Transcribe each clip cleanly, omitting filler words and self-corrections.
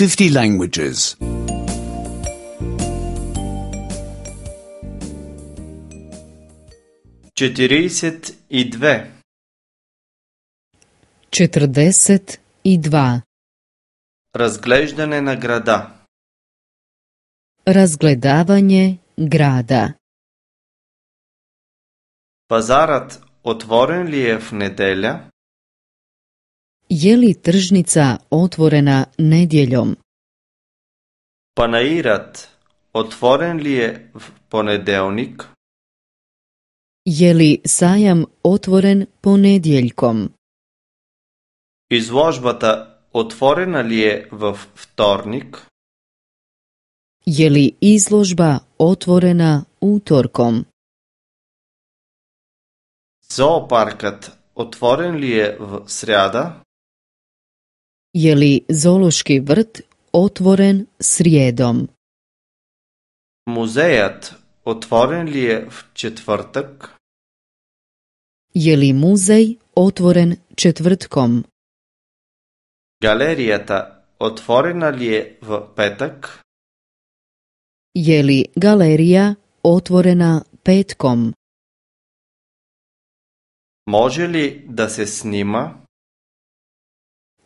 50 languages. 42. 42. Разглеждане на града. Razgledavanje grada. Пазарът отворен ли е в неделя? Je li tržnica otvorena nedjeljom? Панаирът отворен ли е в понеделник? Je li sajam otvoren ponedjeljkom? Изложбата отворена ли е във вторник? Je li izložba otvorena utorkom? Зоопаркът отворен ли е в сряда? Je li zoološki vrt otvoren srijedom? Музеят отворен ли е в четвъртък? Je li muzej otvoren četvrtkom? Галерията отворена ли е в петък? Je li galerija otvorena petkom? Може ли да се снима?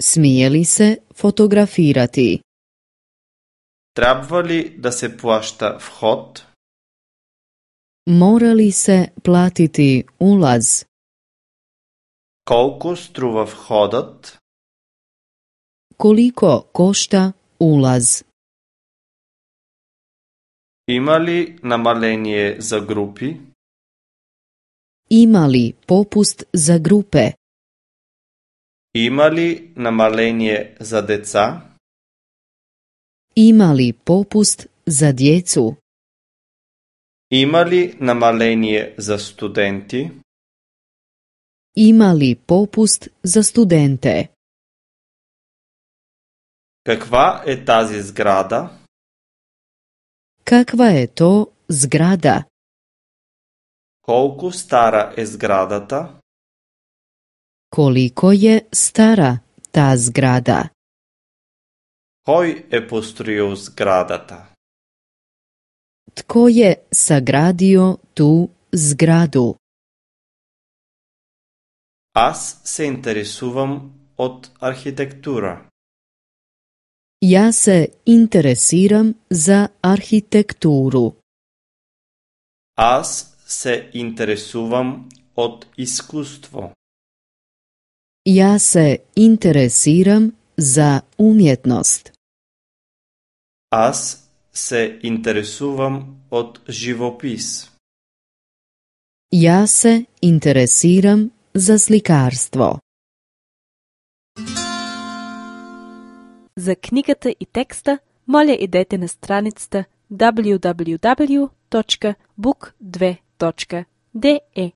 Smije li se fotografirati? Трябва ли да се плаща вход? Mora li se platiti ulaz? Колко струва входът? Koliko košta ulaz? Има ли намаление за групи? Ima li popust za grupe? Има ли намаление за деца? Ima li popust za djecu? Има ли намаление за студенти? Ima li popust za studente? Каква е тази сграда? Kakva je to zgrada? Колко стара е сградата? Koliko je stara ta zgrada? Кой е построил сградата? Tko je sagradio tu zgradu? Аз се интересувам от архитектура. Ja se interesiram za arhitekturu. Аз се интересувам от изкуство. Ja se interesiram za umjetnost. Аз се интересувам от живопис. Ja se interesiram za slikarstvo. За книгата и текста, моля идете на страницата www.book2.de.